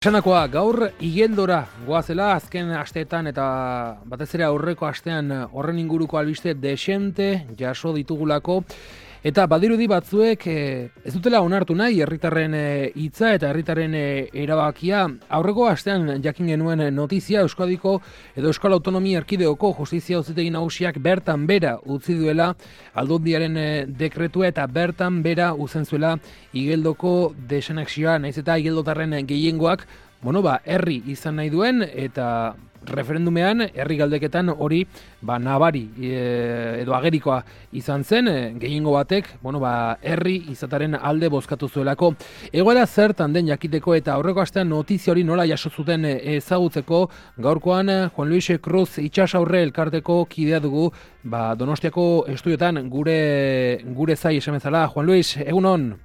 Esanakoa, gaur igeldora goazela azken asteetan eta batez ere aurreko astean horren inguruko albiste desente jaso ditugulako eta badirudi batzuek ez dutela onartu nahi herritarren hitza eta herritarren erabakia. Aurreko astean jakin genuen notizia Euskadiko edo Euskal Autonomia Erkideoko Justizia Auzitegi Nagusiak bertan bera utzi duela Aldundiaren dekretua eta bertan bera uzen zuela Igeldoko desanexioa, nahiz eta igeldotarren gehiengoak herri izan nahi duen eta referendumean herri galdeketan hori nabari edo agerikoa izan zen, gehiengo batek herri izataren alde bozkatu zuelako. Egoera zertan den jakiteko eta aurreko astean notizia hori nola jaso zuten ezagutzeko, gaurkoan Juan Luis Cruz itsasaurre elkarteko kidea dugu Donostiako estudiotan gure zai esan bezala. Juan Luis, egunon.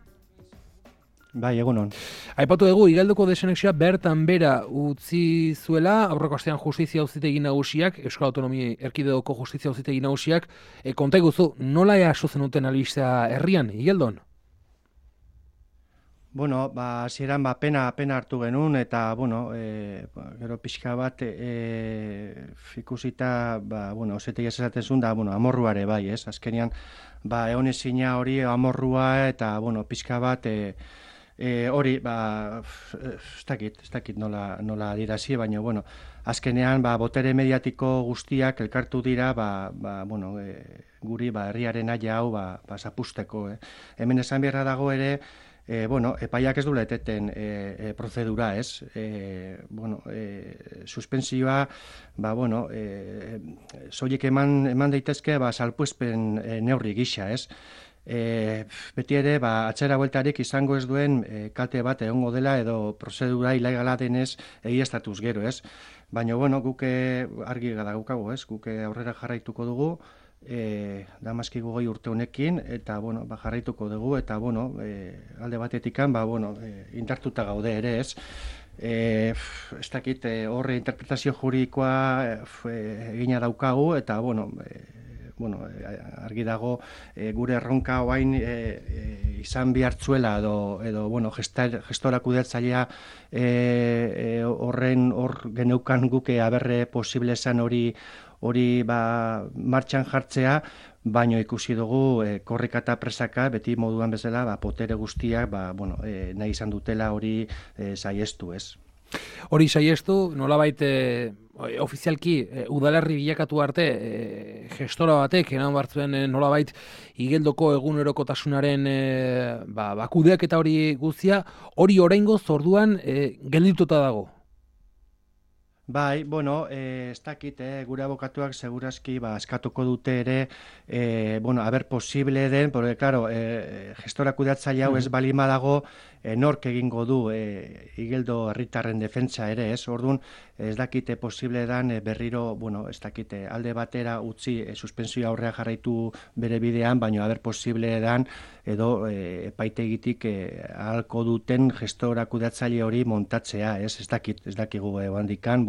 Bai, egunon. Aipatu dugu, Igeldoko desanexioa bertan bera utzi zuela, aurreko astean Justizia Auzitegi Nagusiak, Euskal Autonomia Erkidegoko Justizia Auzitegi Nagusiak, konta iguzu, nola jaso zenuten albistea herrian, Igeldon? Hasieran pena hartu genuen eta, gero pixka bat ikusita, Auzitegi esaten zuen da, amorruare bai, ez? Azkenean, egon ezina hori amorrua eta, pixka bat, hori, ez dakit nola adirazi, baina, azkenean, botere mediatiko guztiak elkartu dira, guri, herriaren aia hau, zapusteko. Hemen esan beharra dago ere, epaiak ez du leteten prozedura, ez? Suspensioa, soilik eman daitezke, salpuespen neurri gisa, ez? Beti ere, atzera bueltarik izango ez duen kalte bat egongo dela edo prozedura ilegala denez egiaztatuz gero, ez? Baina, guk argi daukagu, ez? Guk aurrera jarraituko dugu, damaskigu goi urte honekin, eta, jarraituko dugu, eta, alde batetikan, indartuta gaude ere, ez? Ez dakit, horre interpretazio juridikoa egina daukagu, eta, argi dago gure erronka oain izan bihartzuela edo gestora kudeatzailea hor geneukan guke aberre posible esan hori martxan jartzea, baino ikusi dugu korrika eta presaka beti moduan bezala potere guztiak nahi izan dutela hori saiestu, ez? Hori saiestu, nolabait ofizialki udalerri bilakatu arte gestora batek eran bartzuen nolabait Igeldoko egunerokotasunaren kudeak eta hori guztia, hori oraingoz orduan geldituta dago. Bai, ez dakit, gure abokatuak segurazki eskatuko dute ere, haber posible den, porque, claro, gestora kudeatzaile hau ez balima dago, nork egingo du Igeldo herritarren defentsa ere, ez? Orduan, ez dakite posible dan berriro, ez dakite, alde batera utzi suspensioa aurrea jarraitu bere bidean, baina haber posible dan edo epaitegitik ahalko duten gestora kudeatzaile hori montatzea, ez? Ez dakigu handikan,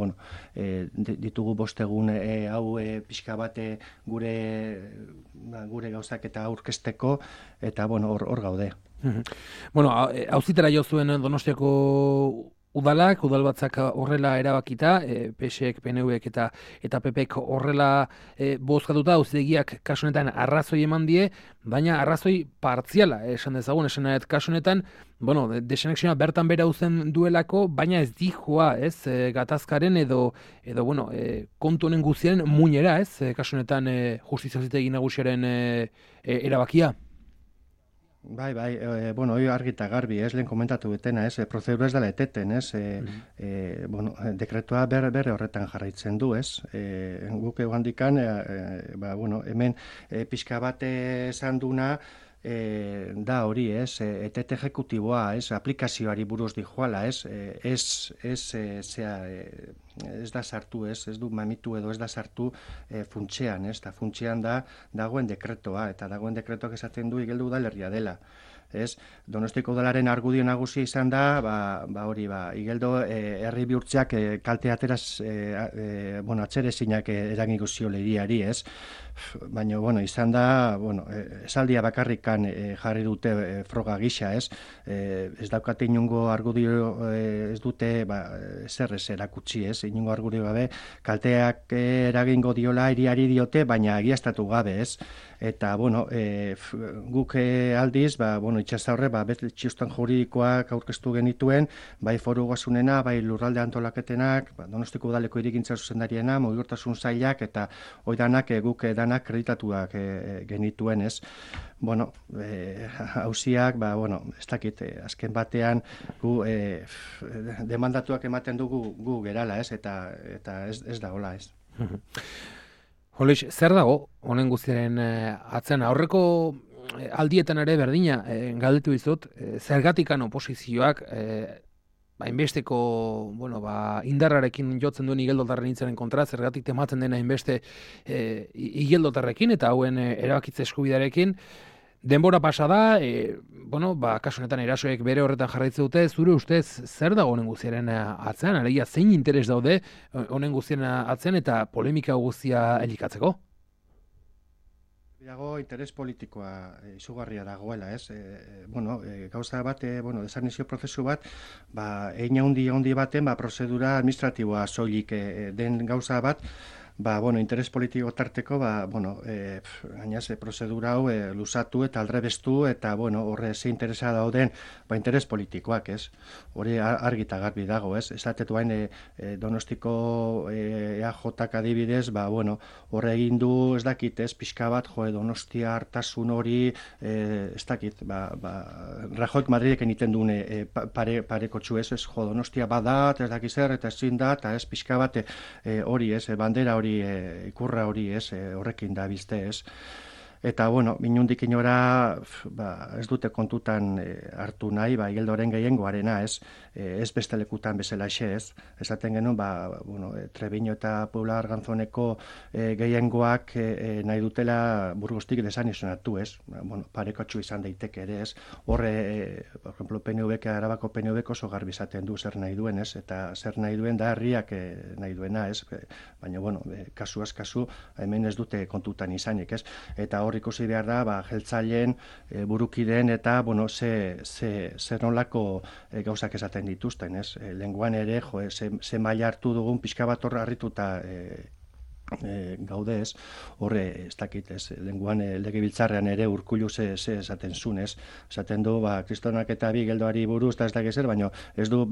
ditugu bostegun hau pixka bate gure gauzak eta aurkezteko, eta hor gaude. Auzitera jo zuen Donostiako udalbatzak horrela erabakita, PSek, PNVek eta PPek horrela bozkatuta, auzitegiak kasu honetan arrazoi eman die, baina arrazoi partziala esan dezagun, kasu honetan, desanexioa bertan bera uzen duelako, baina ez dijoa, ez, gatazkaren edo kontu honen guztiaren muinera, ez, kasu honetan Justizia Auzitegi Nagusiaren erabakia. Bai, hori argi eta garbi, lehen komentatu betena, prozedura ez dela eteten, dekretua berre horretan jarraitzen du, guk egandikan, hemen pixka bat esan duna, da hori, etete ejekutiboa, aplikazioari buruz dijoala, ez da sartu, ez du mamitu edo ez da sartu funtsean, eta funtsean dagoen dekretoa, eta dagoen dekretoak esaten du Igeldo udalerria dela. ez? Donostiko udalaren argudio nagusia izan da, hori, Igeldo herri bihurtzeak kalte ateraz, atxerezinak eragingo zio hiriari, ez? Baina, izan da, esaldia bakarrikan jarri dute froga gisa, ez? Ez daukate inungo argudio, ez dute, zer ez erakutsi, ez? Inungo argudio gabe, kalteak eragingo diola hiriari diote, baina egiaztatu gabe, ez? Eta, guk aldiz, itxasaurre, beste txistan juridikoak aurkeztu genituen, bai foru ogasunena, bai lurralde antolaketenak, Donostiko udaleko hirigintza zuzendariena, mugikortasun sailak, eta oidanak guk danak kreditatuak genituen, ez? Hauziak, ez dakit, azken batean, gu demandatuak ematen dugu gu gerala, ez? Eta ez da hola, ez? Holix, zer dago honen guztiaren atzean? Aurreko aldietan ere berdina galdetu dizut, zergatikan oposizioak hainbesteko indarrarekin jotzen duen igeldotarren hitzaren kontra, zergatik tematzen dena hainbeste igeldotarrekin eta hauen erabakitze eskubidarekin. Denbora pasa da, kasu honetan erasoek bere horretan jarraitze dute, zure ustez zer dago honen guztiaren atzean, alegia zein interes daude honen guztiaren atzean eta polemika guztia elikatzeko? Dago interes politikoa izugarria dagoela, ez? Gauza bat, desanizio prozesu bat, egin handi baten, prozedura administratiboa soilik den gauza bat, interes politiko tarteko, gainaz, prozedura hau lusatu eta aldrebestu, eta, horre ze interesa dauden, interes politikoak, ez? Hori argita garbi dago, ez? Esatetu hain Donostiko EAJak adibidez, horre egin du, ez dakit, ez? Pixka bat, Donostia hartasun hori, ez dakit, Rajoik Madrideken iten duen pareko txu, ez? Donostia badat, ez dakit zer, eta ezin da, eta ez pixka bat hori, ez? Bandera hori ikurra hori, ez, horrekin da bizte, ez. Eta, inundik inora ez dute kontutan hartu nahi, Igeldoren gehiengoarena, ez beste lekutan bezalaxe, ez. Esaten genuen, Trebiño eta Puebla Arganzoneko gehiengoak nahi dutela Burgostik desanizionatu, ez. Parekotxu izan daiteke ere, ez. Horre, por ejemplo, PNVk, Arabako PNVk oso garbi izaten du zer nahi duen, ez. Eta zer nahi duen da herriak nahi duena, ez. Baina, kasuaz kasu, hemen ez dute kontutan izanik, ez. Eta hor ikusi behar da, jeltzaileen burukideen eta, zer nolako gauzak esaten dituzten, ez? Lenguan ere, ze maila hartu dugun pixka bat hor harrituta gaude, ez? Horre, ez dakit, ez? Lenguan legebiltzarrean ere Urkullu ze esaten zuen, ez? Esaten du, Kristonak eta Igeldoari buruz, eta ez dakit zer, baina ez du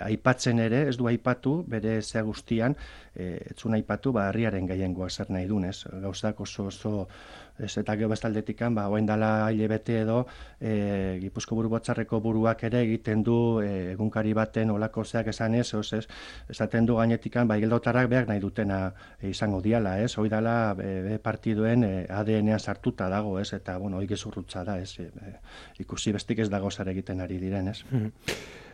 aipatzen ere, ez du aipatu, bere zea guztian, ez zuen aipatu, herriaren gehiengoa zer nahi duen, ez? Gauzak oso ez, eta gero bestaldetikan, oain dala hilebete edo, Gipuzko Buru Batzarreko buruak ere egiten du egunkari baten olako zeak esanez, esaten du gainetikan, igeldotarrak behar nahi dutena izango diala, ez? Hoi dala partiduen ADN-ean sartuta dago, ez? Eta, hoi gezurrutza da, ez? Ikusi bestik ez dago zer egiten ari diren, ez?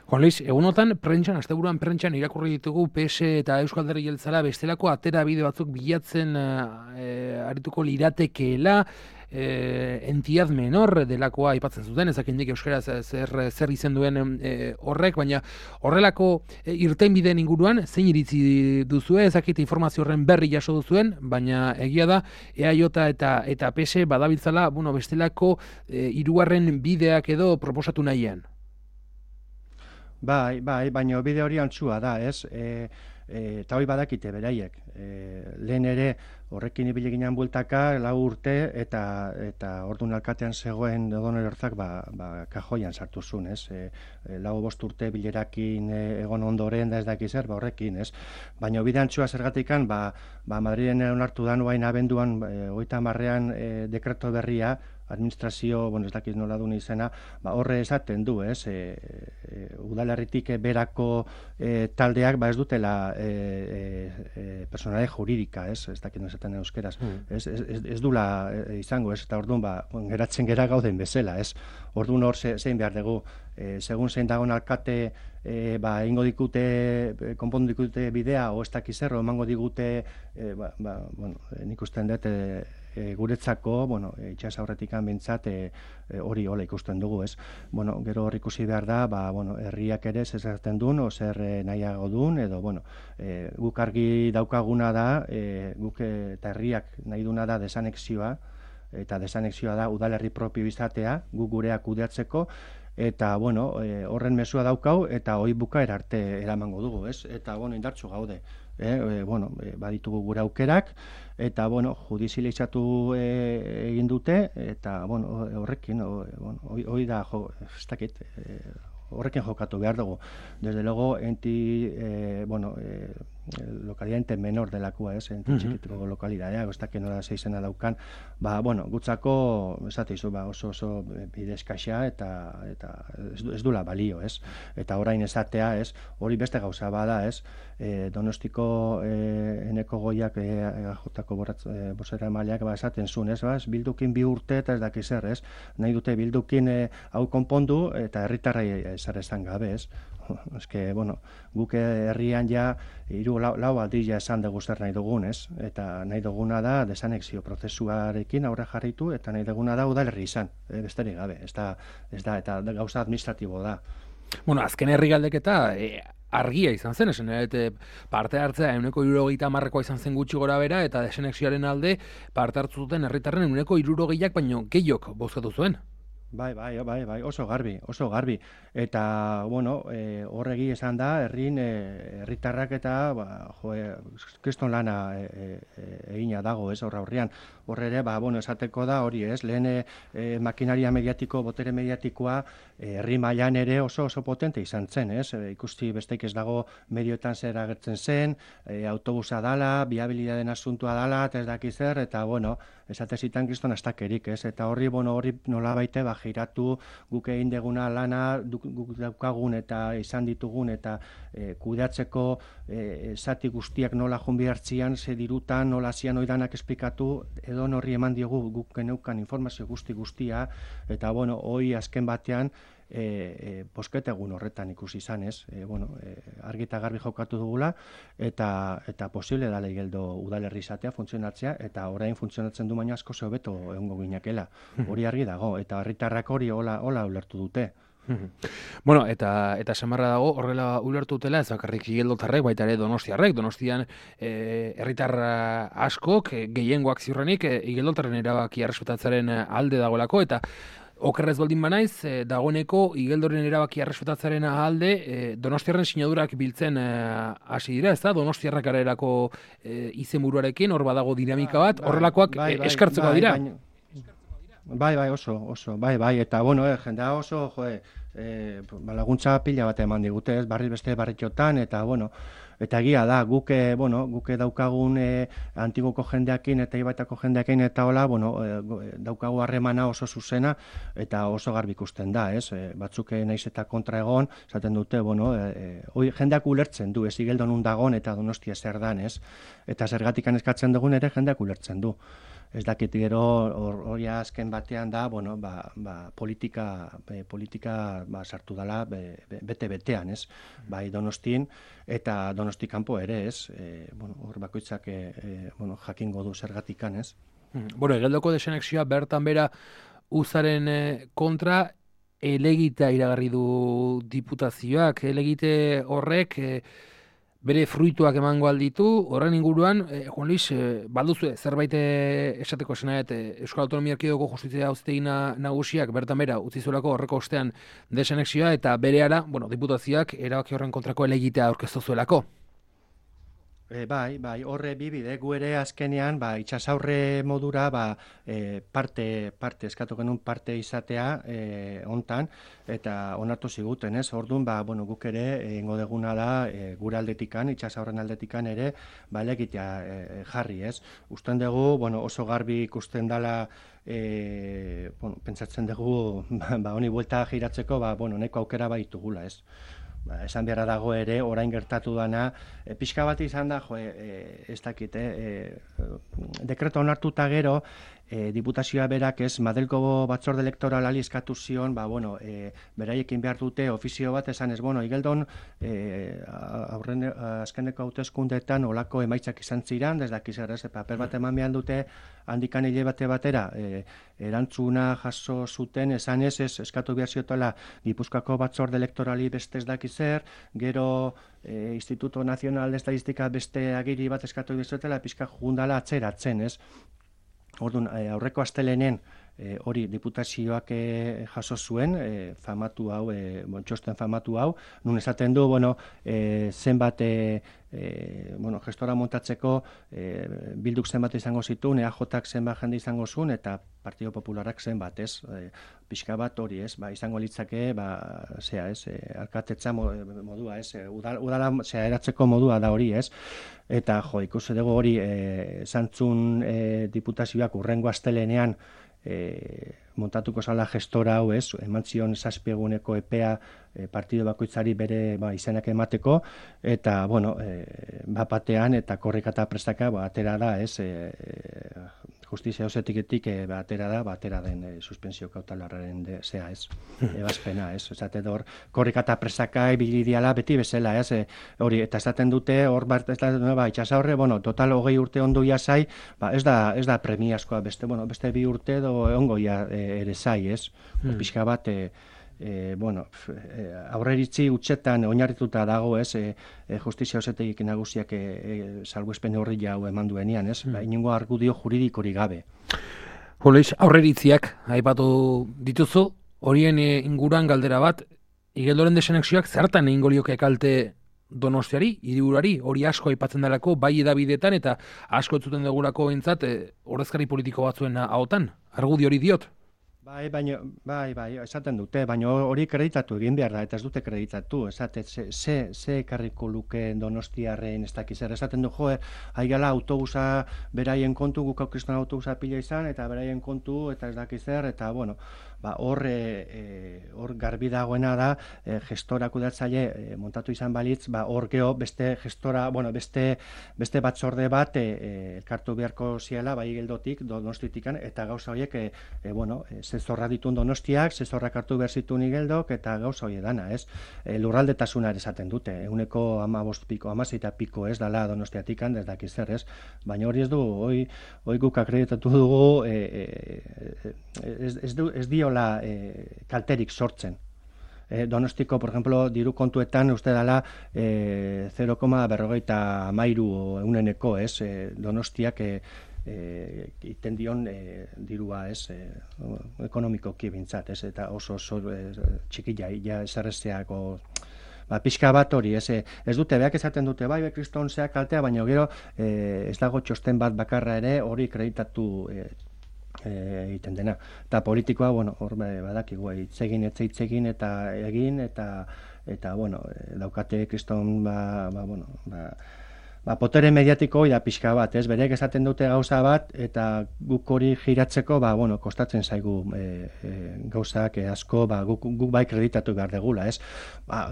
Juan Luis, egunotan, asteburuan prentxan irakurri ditugu PS eta Euskal Alderdi Jeltzalea bestelako atera bide batzuk bilatzen arituko liratekeela, entidad menor delakoa aipatzen zuten, ezakindik euskaraz zer izen duen horrek, baina horrelako irtenbideen inguruan, zein iritzi duzue, ezakite informazio horren berri jaso duzuen, baina egia da, EAJ eta PS badabiltzala, bestelako hirugarren bideak edo proposatu nahian. Bai, baina bide hori antzua da, ez? Eta hori badakite beraiek. Lehen ere horrekin ibili ginen bueltaka, 4 urte, eta orduan alkatean zegoen Odonel Orzak kajoian sartu zuen, ez? 4-5 urte bilerakin egon ondoren da ez dakiz zer, horrekin, ez? Baina bide antzua zergatikan, Madriden onartu da nuain abenduan, 30ean dekreto berria, administrazio, ez dakit nola duen izena, horre esaten du, ez? Udalerritik berako taldeak, ez dutela personale juridika, ez dakit esaten euskeraz, ez dula izango, ez? Eta orduan, geratzen gera gauden bezala, ez? Orduan hor zein behar dugu, segun zein dagoen alkate, ingo dikute, konpondu dikute bidea, o ez dakiz zer, emango digute, nik usten dut, guretzako, bueno, itxas aurretikan bintzat hori hola ikusten dugu, ez? Bueno, gero hor ikusi behar da, bueno, herriak ere zezerten duen, o zer nahiago duen, edo, bueno, guk argi daukaguna da, guk eta herriak nahi duna da desanexioa, eta desanexioa da udalerri propio izatea, guk gureak kudeatzeko, eta, bueno, horren mesua daukau, eta hoi bukaera arte eramango dugu, ez? Eta, bueno, indartsu gaude. Bueno, baditugu gure aukerak, eta, bueno, judizializatu egin dute, eta, bueno, horrekin, hoi da, ez dakit, horrekin jokatu behar dugu. Desde luego, bueno, lokalidade menor delakua, ez, txikituko lokalidadea, ez dakit nola zeizena daukan, bueno, gutzako, esateizu, oso bidezkaxa, eta ez dula balio, ez, eta orain esatea, ez, hori beste gauza bada, ez, Donostiko eneko goiak jotako bozera emaileak esaten zuen, ez, bildukin 2 urte eta ez dakiz zer, ez, nahi dute bildukin hau konpondu eta herritarrai zer esan gabe, ez. Eske, bueno, guk herrian ja 3-4 aldia esan dugu zer nahi dugun, ez? Eta nahi duguna da desanexio prozesuarekin aurre jarritu eta nahi duguna da udalerri izan, besterik gabe, ez da, eta gauza administratibo da. Bueno, azken herri galdeketa argia izan zen, esan parte hartzea 170%koa izan zen gutxi gora bera, eta desanexioaren alde parte hartu zuten herritarren 160%ak baino gehiok bozkatu zuen. Bai, oso garbi. Eta, bueno, horregi esan da, herritarrak eta, kriston lana egina dago, ez, horrean. Horre ere, bueno, esateko da, hori, ez, lehen makinaria mediatiko, botere mediatikoa, herri mailan ere oso potente izan zen, ez, ikusti besteik ez dago medioetan zer agertzen zen, autobusa dala, biabilidaden asuntua dala, eta ez dakiz zer, eta, bueno, esatezitan kriston astakerik, ez, eta horri nola baite, giratu guk egin deguna lana, guk daukagun eta izan ditugun, eta kudeatzeko zati guztiak nola junbi hartzian, ze dirutan, nola zian oidanak esplikatu, edo horri eman diogu guk geneukan informazio guztia, eta, bueno, hoi azken batean, bosketegun horretan ikusi izan, ez? Argi eta garbi jokatu dugula, eta posible dala igeldo udalerri izatea, funtzionatzea, eta orain funtzionatzen du baina asko hobeto egongo ginakela. Hori argi dago, eta herritarrak hori hola ulertu dute. Bueno, eta samarra dago, horrela ulertu dutela, ez bakarrik igeldotarrek, baita ere Donostian herritar askok, gehiengoak ziurrenik, igeldotarren erabaki errespetatzearen alde dagoelako, eta okerrez baldin banaiz, dagoeneko igeldoren erabaki errespetatzearen alde, Donostiarren sinadurak biltzen hasi dira, ez da? Donostiarrak arerako izenburuarekin, hor badago dinamika bat, horrelakoak eskartzeko dira. Bai, oso, eta, bueno, jendea oso, laguntza pila bat eman digute, ez, beste barritxotan, eta, bueno, eta egia da, guke daukagun antigoko jendeakin eta ibaitako jendeakin eta hola, bueno, daukagu harremana oso zuzena eta oso garbi ikusten da, ez? Batzuk naiz eta kontra egon, esaten dute, bueno, jendeak ulertzen du, ez igeldo nun dagon eta Donostia zer dan, ez? Eta zergatikan eskatzen dugun ere jendeak ulertzen du. Ez dakit gero hori azken batean da, bueno, politika sartu dela bete-betean, ez? Bai Donostin eta Donosti kanpo ere, ez? Hor bakoitzak jakingo du zergatikan, ez? Bueno, igeldoko desanexioa bertan bera uzaren kontra elegita iragarri du diputazioak, elegite horrek bere fruituak emango alditu, horren inguruan, Juan Luis, balduzu zerbait esateko esanet, Euskal Autonomia Erkidegoko Justizia Auzitegi Nagusiak bertan bera utzi zuelako horreko ostean desanexioa eta berehala, diputazioak erabaki horren kontrako elegitea aurkeztu zuelako. Bai, horre bibide, gu ere azkenean, itxasaurre modura, parte eskatu genuen parte izatea hontan, eta onartu ziguten, ez? Orduan, guk ere, egingo deguna da, gure aldetikan, itxasaurren aldetikan ere, elegitea jarri, ez? Usten dugu, oso garbi ikusten dela, pentsatzen dugu, honi buelta giratzeko, neko aukera baitugula, ez? Esan beharra dago ere, orain gertatu dana, pixka bat izan da, ez dakit, dekreto onartuta gero, diputazioa berak ez, Madelko batzorde elektoralali eskatu zion, beraiekin behar dute ofizio bat esan ez, igeldon azkeneko hauteskundeetan olako emaitzak izan ziren, ez dakiz ez, paper bat eman behar dute handikan hile batera, erantzuna jaso zuten, esan ez eskatu behar ziotela Gipuzkoako batzorde elektorali beste ez dakiz gero Instituto Nacional de Estadistika beste agiri bat eskatu behar ziotela, pixka jundala atzeratzen, ez? Orduan, aurreko astelenen hori diputazioak jaso zuen, famatu hau, txosten famatu hau, nun esaten du, zenbat gestora montatzeko bilduk zenbat izango zituen, EAJak zenbat jende izango zuen, eta Partido Popularak zenbat, ez? Pixka bat hori, ez? Izango litzake, alkatetza modua, ez? Udala eratzeko modua da hori, ez? Eta, ikusi dugu hori, zantzun diputazioak urrengo astelenean montatuko zala gestora hau, ez? Eman zion 7 eguneko epea partido bakoitzari bere izenak emateko, eta, batean eta korrika eta prestaka atera da, ez? Justizia ausetiketik atera den suspensio kautelarraren zea, ez? Ebazpena, ez? Esate hor, korrika eta prestaka ibili diala beti bezala, ez? Hori, eta esaten dute, hor itxasa horre, total 20 urte ondo jasai, ez da premiazkoa, beste 2 urte ongoia ere zai, ez? Pixka bat, aurreritzi utxetan oinarrituta dago, ez? Justizia ausetegik nagusiak salbuespen horri jau eman duenean, ez? Inongo argudio juridikorik gabe. Joleix, aurreritziak aipatu dituzu, horien inguruan galdera bat, Igeldoren desanexioak zertan egingo lioke kalte Donostiari, hiriburuari, hori asko aipatzen delako, bai edabidetan eta asko entzuten dugulako behintzat, ordezkari politiko batzuen ahotan, argudio hori diot. Bai, esaten dute, baina hori kreditatu egin behar da, eta ez dute kreditatu, ze ekarriko luke Donostiarren ez dakiz esaten du, haigala autobusa beraien kontu, guk aukriston autobusa pila izan, eta beraien kontu, eta ez dakiz eta hor garbi dagoena da, gestora kudeatzaile montatu izan balitz, hor geho beste gestora, beste batzorde bat elkartu beharko ziela, bai geldotik, Donostitikan, eta gauza horiek, zezorra ditun Donostiak, zezorrak hartu behar zituen Igeldok, eta gauza hori dana, ez? Lurraldetasuna ere esaten dute, 15 piko, 16 piko ez dala Donostiatikan, ez dakiz zer, ez? Baina hori ez du, hoi guk akreditatu dugu, ez diola kalterik sortzen. Donostiko, por ejemplo, diru kontuetan uste dela 0,53 euneneko, ez? Donostiak iten dion dirua, ez? Ekonomikoki bintzat, ez? Eta oso txikila, ja esarresteako pixka bat hori, ez dute, beak esaten dute, bai, kriston zeak kaltea, baina gero ez dago txosten bat bakarra ere hori kreditatu egiten dena. Eta politikoa, hor badakigu, hitzegin eta egin, eta daukate kriston, potere mediatiko da pixka bat, ez? Berek esaten dute gauza bat, eta guk hori giratzeko, kostatzen zaigu gauzak asko, guk bai kreditatu behar degula, ez?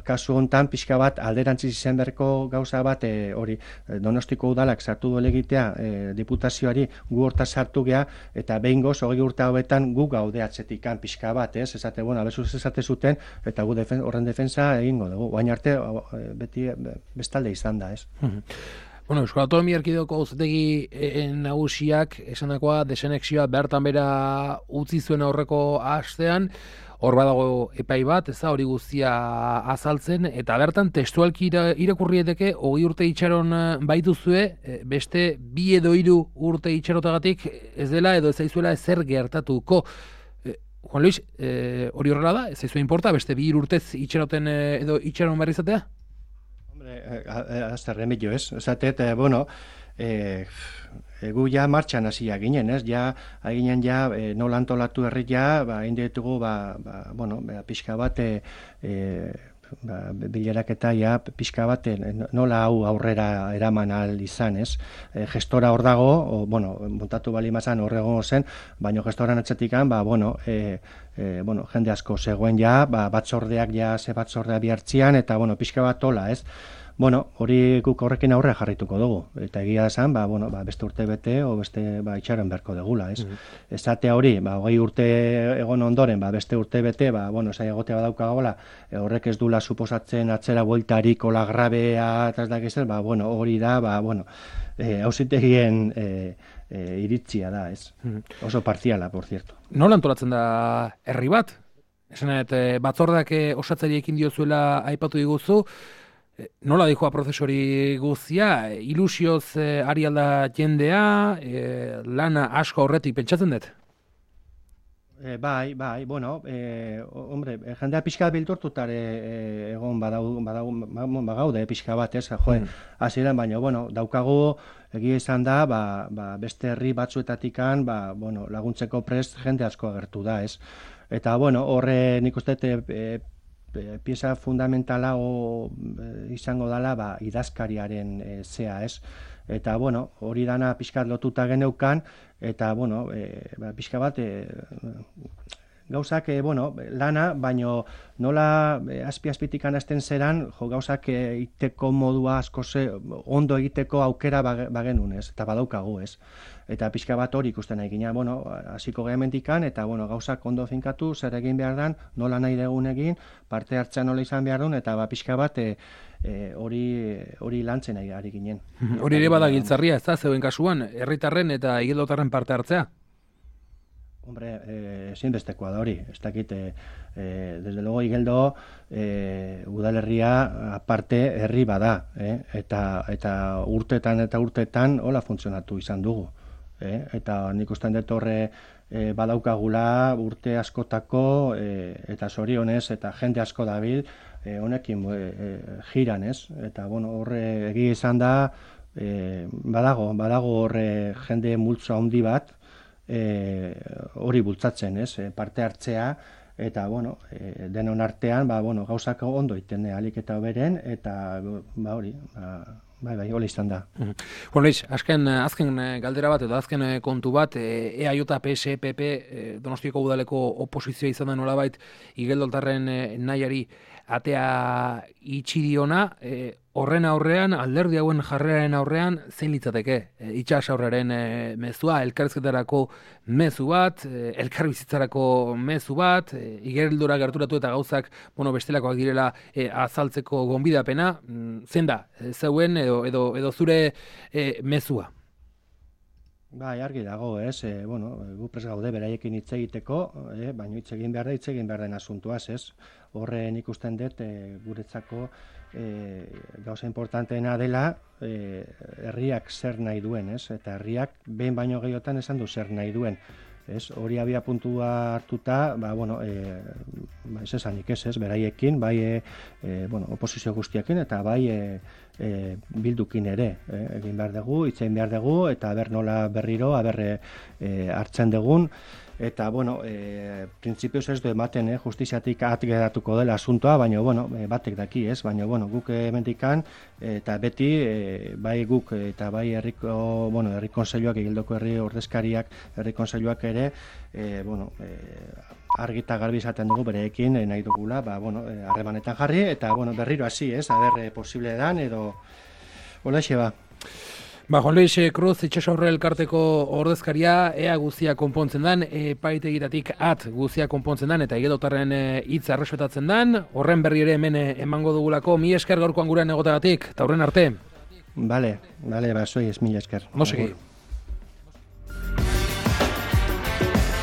Kasu hontan pixka bat alderantziz izan berko gauza bat, hori Donostiko udalak sartu duele egitea diputazioari gu horta sartu gea, eta behin goz, 20 urte hauetan gu gaude atzetikan pixka bat, ez? Esate, abezuz esate zuten, eta gu horren defensa egingo dugu. Baina arte, beti bestalde izan da, ez? Euskal Autonomia Erkidegoko Auzitegi nagusiak esandakoa desanexioa bertan bera utzi zuen aurreko astean, hor badago epai bat, hori guztia azaltzen, eta bertan testualki irakurrieteke 20 urte itxaron baituzue, beste 2 edo 3 urte itxarotagatik ez dela edo ez zaizuela ezer gertatuko. Juan Luis, hori horrela da? Ez zaizu inporta, beste 2 urtez itxaroten edo itxaron behar izatea? Hasta remedio, ez? Esatet, gu ja martxan hasia ginen, ez? Ginen nola antolatu herri indietugu, pixka bat, bileraketa pixka bat nola hau aurrera eraman ahal izan, ez? Gestora hor dago, montatu bali mazan horregon zen, baina gestoran atzetikan, jende asko zegoen batzordeak ze batzordea bihartzian, eta pixka bat tola, ez? Bueno, hori guk horrekin aurre jarrituko dugu. Eta egia esan, beste urte bete, o beste itxaron beharko degula, ez? Esatea hori, 20 urte egon ondoren, beste urte bete, zai egotea badaukagola, horrek ez dula suposatzen atzera bueltarik, ola grabea, eta ez dakizen, hori da, auzitegien iritzia da, ez? Oso partziala, por cierto. Nola antolatzen da herri bat? Esanet, batzordak osatzaileekin diozuela aipatu diguzu, nola dijoa prozesori guztia, ilusioz ari alda jendea, lana asko horretik pentsatzen dut? Bai, hombre, jendea pixka bilturtutare egon bagaude pixka bat, ez, hasieran, baina, daukagu egia izan da, beste herri batzuetatikan, laguntzeko prest jende asko agertu da, ez. Eta, horre nik uste pieza fundamentala izango dela idazkariaren zea, ez? Eta, hori dana pixkat lotuta geneukan, eta, pixka bat gauzak, lana, baino nola azpi-azpitikan hasten zeran, gauzak iteko modua asko ondo egiteko aukera bagenun, ez? Eta badaukagu, ez? Eta pixka bat hori ikusten nahi gina, hasiko gehemendikan, eta gauzak ondo finkatu, zer egin behar dan, nola nahi dugun egin, parte hartzea nola izan behar duen, eta pixka bat hori lantzen ari ginen. Hori ere bada giltzarria, ez da, zeuen kasuan, herritarren eta igeldotarren parte hartzea? Hombre, ezinbestekoa da hori, ez dakit, desde luego Igeldo udalerria aparte herri bada, eta urtetan hola funtzionatu izan dugu. Eta nik ustean dut horre badaukagula urte askotako eta zorionez eta jende asko dabil honekin jiran, ez? Eta horre egia izan da badago horre jende multzo handi bat hori bultzatzen, ez? Parte hartzea eta denon artean gauzak ondo iten alik eta beren eta hori Bai, hola izan da. Luis, azken galdera bat edo azken kontu bat, EAJ, PS, PP, Donostiako udaleko oposizioa izan da nolabait igeldoltarren nahiari atea itxi diona, horren aurrean, alderdi hauen jarreraren aurrean, zein litzateke? Itxas aurraren mezua, elkarrizketarako mezu bat, elkarbizitzarako mezu bat, igeldora gerturatu eta gauzak, bestelakoak direla azaltzeko gonbidapena, zein da, zeuen edo zure mezua? Bai, argi dago, ez, gu prest gaude beraiekin hitz egiteko, baina hitz egin behar den asuntuaz, ez. Horren ikusten dut, guretzako gauza importanteena dela, herriak zer nahi duen, ez, eta herriak behin baino gehiotan esan du zer nahi duen. Hori abia puntua hartuta, ez esanik ez, beraiekin, bai oposizio guztiakin, eta bai bildukin ere. Egin behar dugu, hitzein behar dugu, eta aber nola berriro, hartzen dugun. Eta, printzipioz ez du ematen, justiziatik geratuko dela asuntoa, baina, batek daki, ez? Baina, guk emendikan, eta beti, bai guk eta bai herri kontseiluak, Igeldoko herri ordezkariak, herri kontseiluak ere, argi eta garbi izaten dugu bereekin nahi dugula, harremanetan jarri, eta, berriro hasi, ez? Posible dan, edo, holaxe ba. Juan Luis Cruz, itxasaurre elkarteko ordezkaria, ea guzia konpontzen dan, epaitegitatik guzia konpontzen dan, eta igeldotarren hitza errespetatzen dan, horren berri ere hemen emango dugulako, mi esker gaurkoan gurean egotagatik, eta horren arte. Bale, soy mila esker. Mosegi.